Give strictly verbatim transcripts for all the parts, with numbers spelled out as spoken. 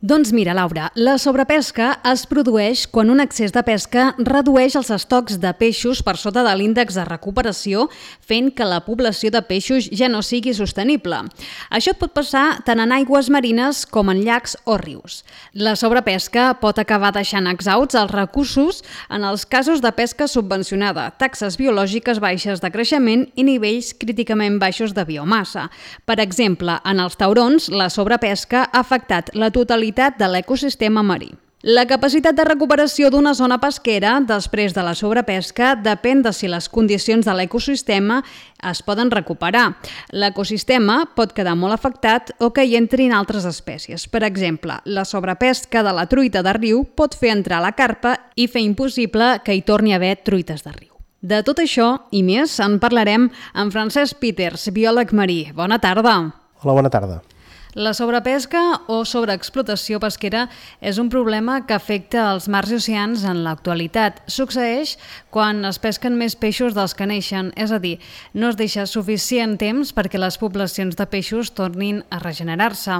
Doncs mira, Laura, la sobrepesca es produeix quan un excés de pesca redueix els estocs de peixos per sota de l'índex de recuperació, fent que la població de peixos ja no sigui sostenible. Això pot passar tant en aigües marines com en llacs o rius. La sobrepesca pot acabar deixant exhausts els recursos en els casos de pesca subvencionada, taxes biològiques baixes de creixement i nivells críticament baixos de biomassa. Per exemple, en els taurons, la sobrepesca ha afectat la totalitat de l'ecosistema marí. La capacitat de recuperació d'una zona pesquera després de la sobrepesca depèn de si les condicions de l'ecosistema es poden recuperar. L'ecosistema pot quedar molt afectat o que hi entrin altres espècies. Per exemple, la sobrepesca de la truita de riu pot fer entrar la carpa i fer impossible que hi torni a haver truites de riu. De tot això i més en parlarem amb Francesc Peters, biòleg marí. Bona tarda. Hola, bona tarda. La sobrepesca o sobreexplotació pesquera és un problema que afecta els mars i oceans en l'actualitat. Succeeix quan es pesquen més peixos dels que neixen, és a dir, no es deixa suficient temps perquè les poblacions de peixos tornin a regenerar-se.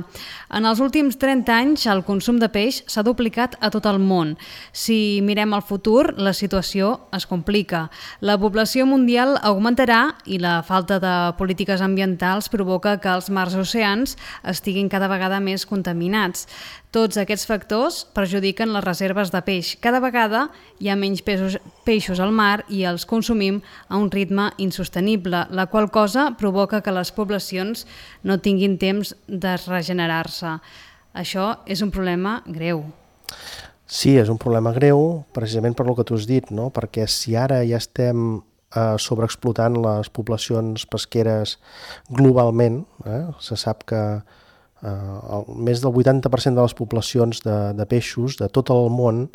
En els últims trenta anys, el consum de peix s'ha duplicat a tot el món. Si mirem al futur, la situació es complica. La població mundial augmentarà i la falta de polítiques ambientals provoca que els mars i oceans estiguin cada vegada més contaminats. Tots aquests factors perjudiquen les reserves de peix. Cada vegada hi ha menys peixos, peixos al mar i els consumim a un ritme insostenible, la qual cosa provoca que les poblacions no tinguin temps de regenerar-se. Això és un problema greu. Sí, és un problema greu, precisament per lo que tu has dit, no? Perquè si ara ja estem eh, sobreexplotant les poblacions pesqueres globalment, eh? Se sap que eh, el, més del vuitanta per cent de les poblacions de, de peixos de tot el món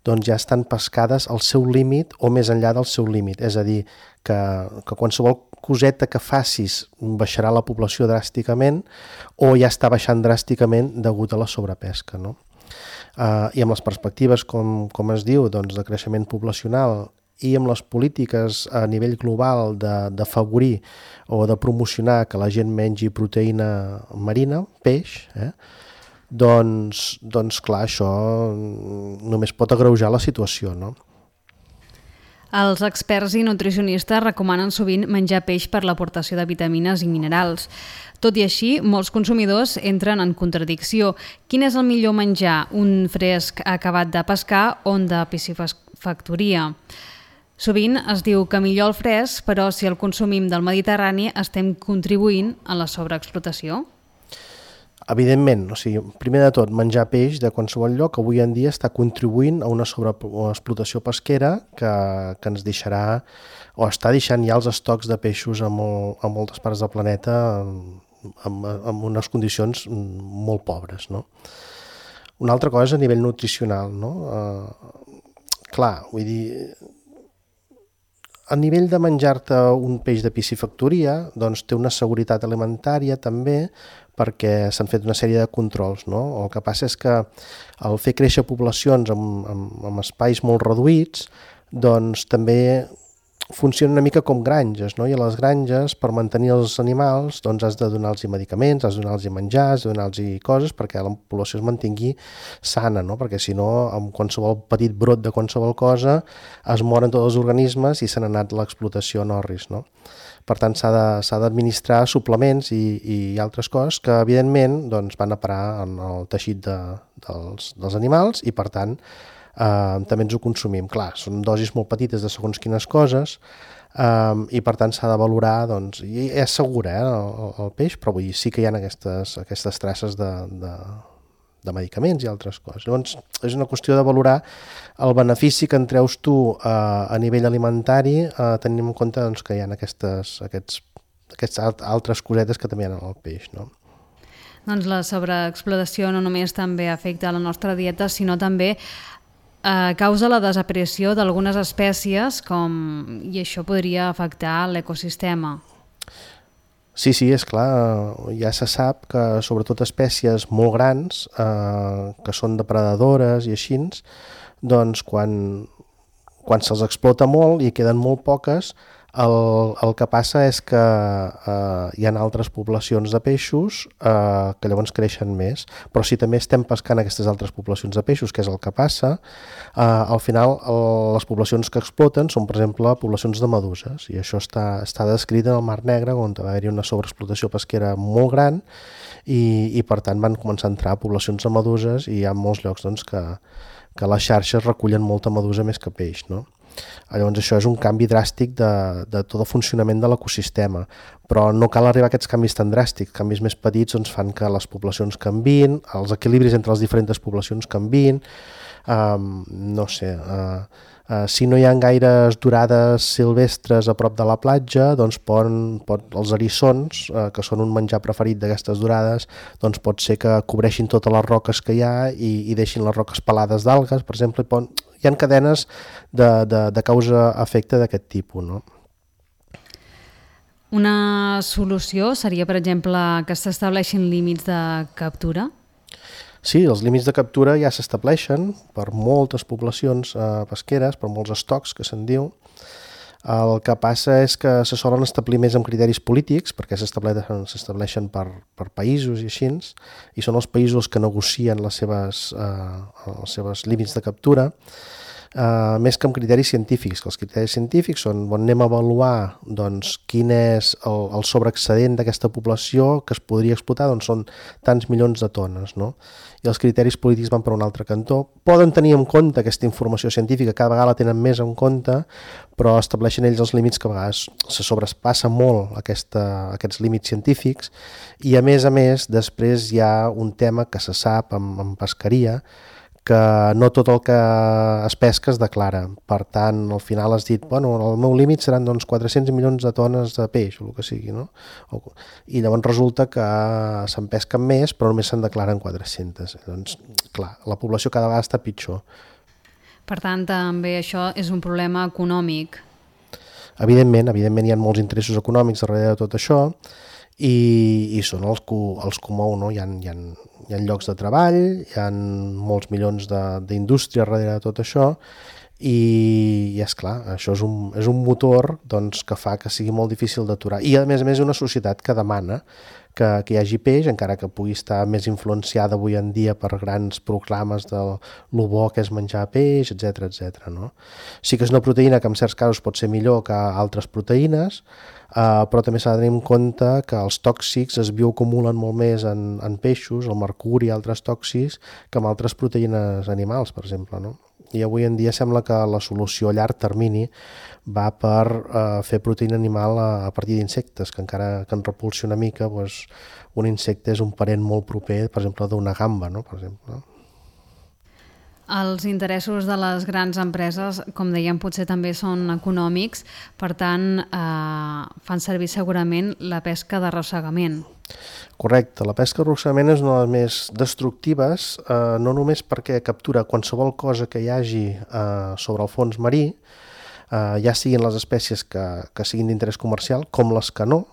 doncs ja estan pescades al seu límit o més enllà del seu límit. És a dir, que, que qualsevol coseta que facis baixarà la població dràsticament o ja està baixant dràsticament degut a la sobrepesca, no? Uh, I amb les perspectives, com, com es diu, doncs, de creixement poblacional i amb les polítiques a nivell global d'afavorir o de promocionar que la gent mengi proteïna marina, peix, eh? doncs, doncs clar, això només pot agreujar la situació, no? Els experts i nutricionistes recomanen sovint menjar peix per l'aportació de vitamines i minerals. Tot i així, molts consumidors entren en contradicció. Quin és el millor menjar? Un fresc acabat de pescar o un de piscifactoria? Sovint es diu que millor el fresc, però si el consumim del Mediterrani estem contribuint a la sobreexplotació? Evidentment, o sigui, primer de tot, menjar peix de qualsevol lloc avui en dia està contribuint a una sobreexplotació pesquera que, que ens deixarà o està deixant ja els estocs de peixos a, molt, a moltes parts del planeta en, en unes condicions molt pobres, no? Una altra cosa a nivell nutricional, no? Uh, clar, vull dir, a nivell de menjar-te un peix de piscifactoria, doncs té una seguretat alimentària també, perquè s'han fet una sèrie de controls, no? El que passa és que al fer créixer poblacions amb, amb, amb espais molt reduïts, doncs també funciona una mica com granges, no? I a les granges, per mantenir els animals, doncs has de donar-los medicaments, has de donar-los menjar, has de donar-los coses perquè la població es mantingui sana, no? Perquè si no, amb qualsevol petit brot de qualsevol cosa es moren tots els organismes i se n'ha anat l'explotació en orris, no? Per tant, s'ha de, s'ha d'administrar suplements i, i altres coses que, evidentment, doncs, van a parar en el teixit de, dels, dels animals i, per tant, eh, també ens ho consumim. Clar, són dosis molt petites de segons quines coses eh, i, per tant, s'ha de valorar, doncs, i és segur, eh, el, el peix, però vull dir, sí que hi ha aquestes, aquestes traces de, de, de medicaments i altres coses. Llavors, és una qüestió de valorar el benefici que en treus tu eh, a nivell alimentari, eh, tenint en compte doncs, que hi ha aquestes, aquests, aquests altres cosetes que també hi ha en el peix, no? Doncs la sobreexplotació no només també afecta la nostra dieta, sinó també eh, causa la desaparició d'algunes espècies com, i això podria afectar l'ecosistema. Sí, sí, és clar, ja se sap que sobretot espècies molt grans, eh, que són depredadores i així, doncs quan, quan se'ls explota molt i queden molt poques, El, el que passa és que eh, hi ha altres poblacions de peixos eh, que llavors creixen més, però si també estem pescant aquestes altres poblacions de peixos, que és el que passa, eh, al final el, les poblacions que exploten són, per exemple, poblacions de meduses, i això està, està descrit en el Mar Negre, on va haver-hi una sobreexplotació pesquera molt gran, i, i per tant van començar a entrar poblacions de meduses, i hi ha molts llocs doncs, que, que les xarxes recullen molta medusa més que peix, no? Llavors això és un canvi dràstic de, de tot el funcionament de l'ecosistema, però no cal arribar a aquests canvis tan dràstics. Canvis més petits doncs, fan que les poblacions canvien, els equilibris entre les diferents poblacions canvien, um, no sé, uh, uh, si no hi ha gaires dorades silvestres a prop de la platja, doncs poden, pot, els eriçons, uh, que són un menjar preferit d'aquestes dorades, doncs pot ser que cobreixin totes les roques que hi ha i, i deixin les roques pelades d'algues, per exemple, i poden... hi ha cadenes de, de, de causa-efecte d'aquest tipus, no? Una solució seria, per exemple, que s'estableixin límits de captura? Sí, els límits de captura ja s'estableixen per moltes poblacions eh, pesqueres, per molts estocs, que se'n diu. El que passa és que se solen establir més amb criteris polítics, perquè s'estableixen per, per països i així, i són els països que negocien les seves, eh, els seus límits de captura, eh, més que amb criteris científics, que els criteris científics són on anem a avaluar doncs, quin és el, el sobreexcedent d'aquesta població que es podria explotar, doncs són tants milions de tones, no? I els criteris polítics van per un altre cantó. Poden tenir en compte aquesta informació científica, cada vegada la tenen més en compte, però estableixen ells els límits que a vegades se sobrepassa molt aquesta, aquests límits científics, i a més a més després hi ha un tema que se sap en, en pesqueria, que no tot el que es pesca es declara. Per tant, al final has dit, bueno, el meu límit seran doncs, quatre-cents milions de tones de peix, o el que sigui, no? I llavors resulta que se'n pesquen més, però només se'n declaren quatre-centes. Doncs, clar, la població cada vegada està pitjor. Per tant, també això és un problema econòmic. Evidentment, evidentment hi ha molts interessos econòmics darrere de tot això, i, i són els que els que mou, no? Hi ha, hi ha, hi ha llocs de treball, hi ha molts milions d'indústria darrere de tot això, i, i és clar, això és un, és un motor doncs, que fa que sigui molt difícil d'aturar. I a més a més una societat que demana que, que hi hagi peix, encara que pugui estar més influenciada avui en dia per grans proclames de lo bo que és menjar peix, etcètera, etcètera, no? Sí que és una proteïna que en certs casos pot ser millor que altres proteïnes, Uh, però també s'ha de tenir en compte que els tòxics es bioacumulen molt més en, en peixos, el mercuri i altres tòxics, que amb altres proteïnes animals, per exemple, no? I avui en dia sembla que la solució a llarg termini va per uh, fer proteïna animal a, a partir d'insectes, que encara que en repulsi una mica, doncs, un insecte és un parent molt proper, per exemple, d'una gamba, no? Per exemple, no? Els interessos de les grans empreses, com dèiem, potser també són econòmics, per tant, eh, fan servir segurament la pesca d'arrossegament. Correcte, la pesca d'arrossegament és una de les més destructives, eh, no només perquè captura qualsevol cosa que hi hagi eh, sobre el fons marí, eh, ja siguin les espècies que, que siguin d'interès comercial, com les que no,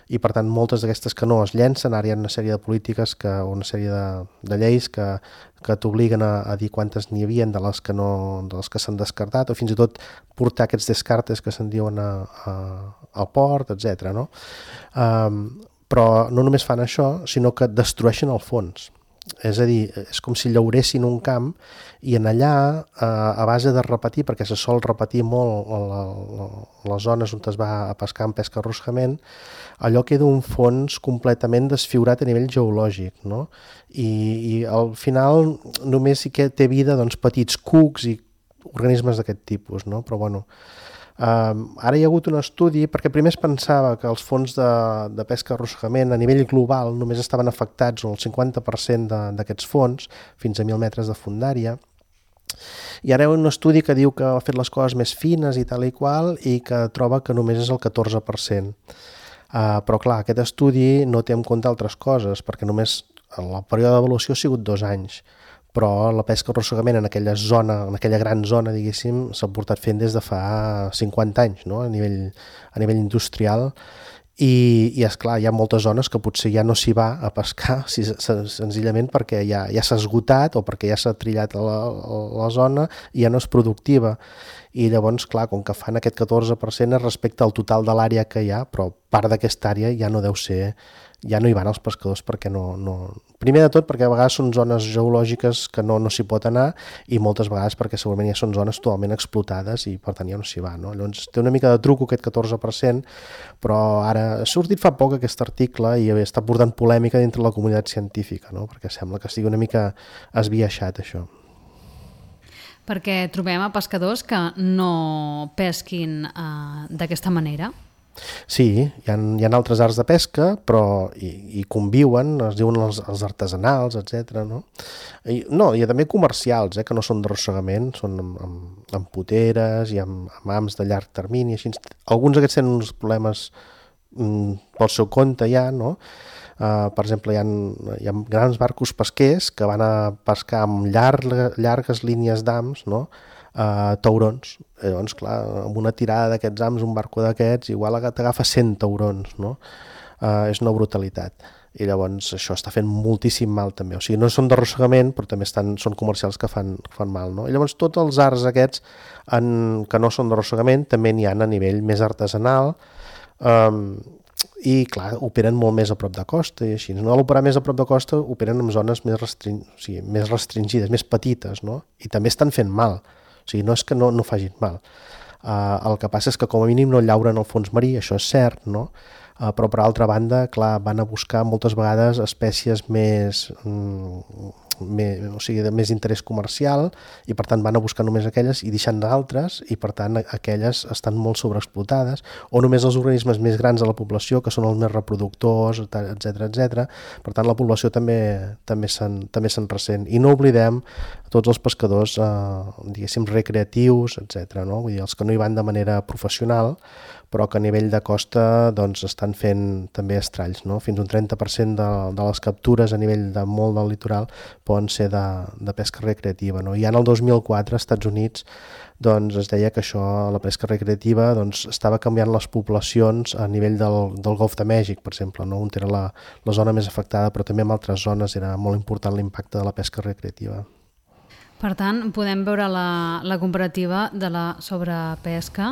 i per tant moltes d'aquestes que no es llencen. Ara hi ha una sèrie de polítiques, que, una sèrie de, de lleis que, que t'obliguen a, a dir quantes n'hi havia de les que no, de les que s'han descartat, o fins i tot portar aquests descartes que se'n diuen a, a, al port, etcètera, no? Um, però no només fan això, sinó que destrueixen el fons. És a dir, és com si llauressin un camp i en allà, eh, a base de repetir, perquè se sol repetir molt la, la, les zones on es va a pescar en pesca arrossegament, allò queda un fons completament desfigurat a nivell geològic, no? I, i al final només sí que té vida doncs, petits cucs i organismes d'aquest tipus, no? Però bueno, Um, ara hi ha hagut un estudi, perquè primer es pensava que els fons de, de pesca arrossegament a nivell global només estaven afectats el cinquanta per cent d'aquests fons, fins a mil metres de fondària, i ara hi ha un estudi que diu que ha fet les coses més fines i tal i qual, i que troba que només és el catorze per cent. Uh, però clar, aquest estudi no té en compte altres coses, perquè només el període d'avaluació ha sigut dos anys, però la pesca arrossegament en aquella zona, en aquella gran zona, diguéssim, s'ha portat fent des de fa cinquanta anys, no? a, nivell, a nivell industrial, i, i esclar, hi ha moltes zones que potser ja no s'hi va a pescar si, senzillament perquè ja, ja s'ha esgotat o perquè ja s'ha trillat a la, a la zona i ja no és productiva. I llavors, clar, com que fan aquest catorze per cent és respecte al total de l'àrea que hi ha, però part d'aquesta àrea ja no deu ser, ja no hi van els pescadors perquè no... no... Primer de tot perquè a vegades són zones geològiques que no, no s'hi pot anar i moltes vegades perquè segurament ja són zones totalment explotades i per tant ja no s'hi va. No? Llavors té una mica de truco aquest catorze per cent, però ara ha sortit fa poc aquest article i està portant polèmica dintre la comunitat científica, no? Perquè sembla que estigui una mica esbiaixat això. Perquè trobem a pescadors que no pesquin eh, d'aquesta manera? Sí, hi ha, hi ha altres arts de pesca, però hi, hi conviuen, es diuen els, els artesanals, etcètera. No? I, no, hi ha també comercials, eh, que no són d'arrossegament, són amb, amb, amb puteres i amb, amb hams de llarg termini. Així. Alguns d'aquests tenen uns problemes mm, pel seu compte ja, no? Uh, per exemple, hi ha, hi ha grans barcos pesquers que van a pescar amb llarga, llargues línies d'hams, no? uh, taurons. Llavors, clar, amb una tirada d'aquests hams, un barco d'aquests, igual t'agafa cent taurons, no? Uh, és una brutalitat. I llavors això està fent moltíssim mal també. O sigui, no són d'arrossegament, però també estan, són comercials que fan, fan mal, no? I llavors tots els arts aquests en, que no són d'arrossegament també n'hi ha a nivell més artesanal, um, i clar, operen molt més a prop de costa i així. No, a l'operar més a prop de costa operen en zones més, restring... o sigui, més restringides, més petites, no? I també estan fent mal. O sigui, no és que no, no facin mal. Uh, el que passa és que com a mínim no llauren el fons marí, això és cert, no? Uh, però per altra banda, clar, van a buscar moltes vegades espècies més... Mm, Més, o sigui, de més interès comercial i per tant van a buscar només aquelles i deixant d'altres i per tant aquelles estan molt sobreexplotades o només els organismes més grans de la població que són els més reproductors, etcètera, etcètera. Per tant la població també també se'n també se'n ressent i no oblidem tots els pescadors eh, diguéssim recreatius, etcètera, no? Vull dir, els que no hi van de manera professional però que a nivell de costa doncs, estan fent també estralls, no? Fins un trenta per cent de, de les captures a nivell de molt del litoral poden ser de, de pesca recreativa, no? I ja en el dos mil quatre als Estats Units doncs, es deia que això, la pesca recreativa doncs, estava canviant les poblacions a nivell del, del Golf de Mèxic, per exemple, no? On era la, la zona més afectada, però també en altres zones era molt important l'impacte de la pesca recreativa. Per tant, podem veure la, la comparativa de la sobrepesca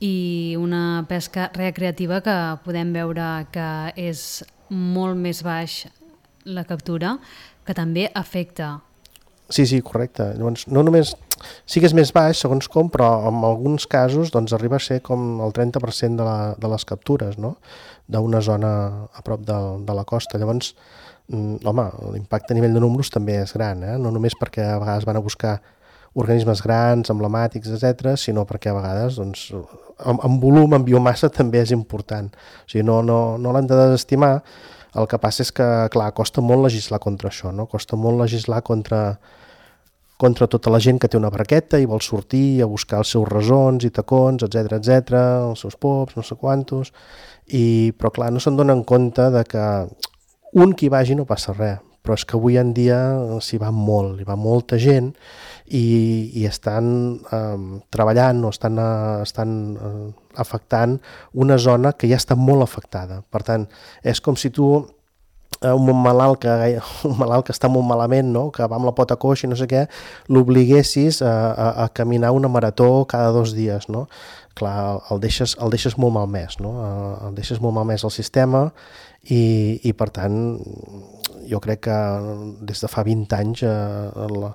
i una pesca recreativa que podem veure que és molt més baix la captura, que també afecta. Sí, sí, correcte. Llavors, no només sí que és més baix, segons com, però en alguns casos doncs, arriba a ser com el trenta per cent de, la, de les captures, no? D'una zona a prop de, de la costa. Llavors, home, l'impacte a nivell de números també és gran, eh? No només perquè a vegades van a buscar organismes grans, emblemàtics, etcètera, sinó perquè a vegades, doncs, en, en volum, en biomassa, també és important. O sigui, no, no, no l'hem de desestimar. El que passa és que, clar, costa molt legislar contra això, no? Costa molt legislar contra, contra tota la gent que té una barqueta i vol sortir a buscar els seus rasons i tacons, etcètera, etcètera, els seus pops, no sé quantos, i, però clar, no se'n donen compte de que un qui vagi no passa res, però és que avui en dia s'hi va molt, hi va molta gent i, i estan eh, treballant o estan, eh, estan eh, afectant una zona que ja està molt afectada. Per tant, és com si tu eh, un malalt que, un malalt que està molt malament, no? Que va amb la pota coixa i no sé què, l'obliguessis a, a, a caminar una marató cada dos dies, no? Clar, el deixes, el deixes molt malmès, no? El deixes molt malmès al sistema i, i per tant jo crec que des de fa vint anys eh, la,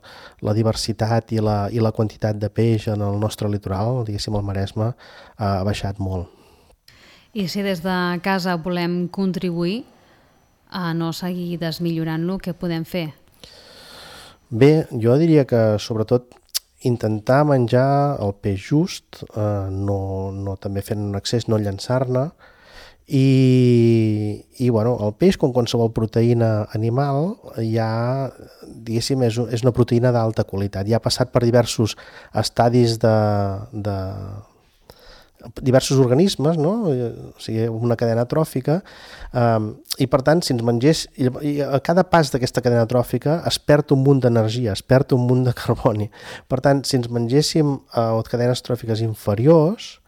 la diversitat i la, i la quantitat de peix en el nostre litoral, diguéssim el Maresme, ha baixat molt. I si des de casa volem contribuir a no seguir desmillorant-lo, què podem fer? Bé, jo diria que sobretot intentar menjar el peix just, eh, no, no també fent un excés, no llançar-ne, i, i bueno, el peix, com qualsevol proteïna animal, ja, diguéssim, és, és una proteïna d'alta qualitat. Ja ha passat per diversos estadis de, de diversos organismes, no? O sigui, una cadena tròfica, um, i per tant, si ens mengés, i, i a cada pas d'aquesta cadena tròfica es perd un munt d'energia, es perd un munt de carboni. Per tant, si ens mengéssim uh, cadenes tròfiques inferiors,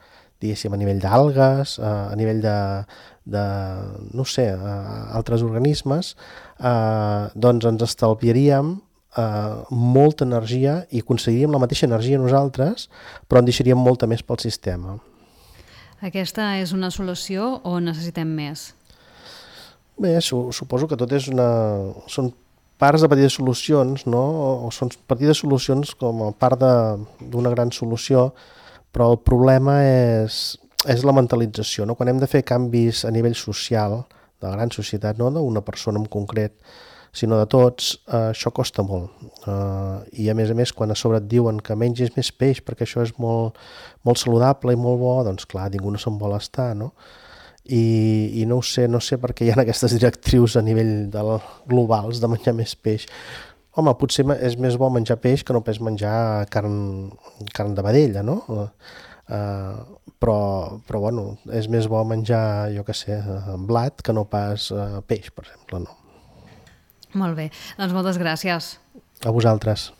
diguéssim, a nivell d'algues, a nivell de, de no sé, altres organismes, eh, doncs ens estalviaríem eh, molta energia i aconseguiríem la mateixa energia nosaltres, però en deixaríem molta més pel sistema. Aquesta és una solució o necessitem més? Bé, su suposo que tot és una... són parts de petites solucions, no? O són petites solucions com a part d'una gran solució, però el problema és, és la mentalització, no? Quan hem de fer canvis a nivell social, de la gran societat, no d'una persona en concret, sinó de tots, eh, això costa molt. Eh, I a més a més, quan a sobre et diuen que mengis més peix perquè això és molt, molt saludable i molt bo, doncs clar, ningú no se'n vol estar, no? I, i no ho sé, no sé per què hi ha aquestes directrius a nivell del, globals de menjar més peix. Home, potser és més bo menjar peix que no pas menjar carn, carn de vedella, no? Uh, però, però bueno, és més bo menjar, jo què sé, blat que no pas uh, peix, per exemple, no? Molt bé, doncs moltes gràcies. A vosaltres.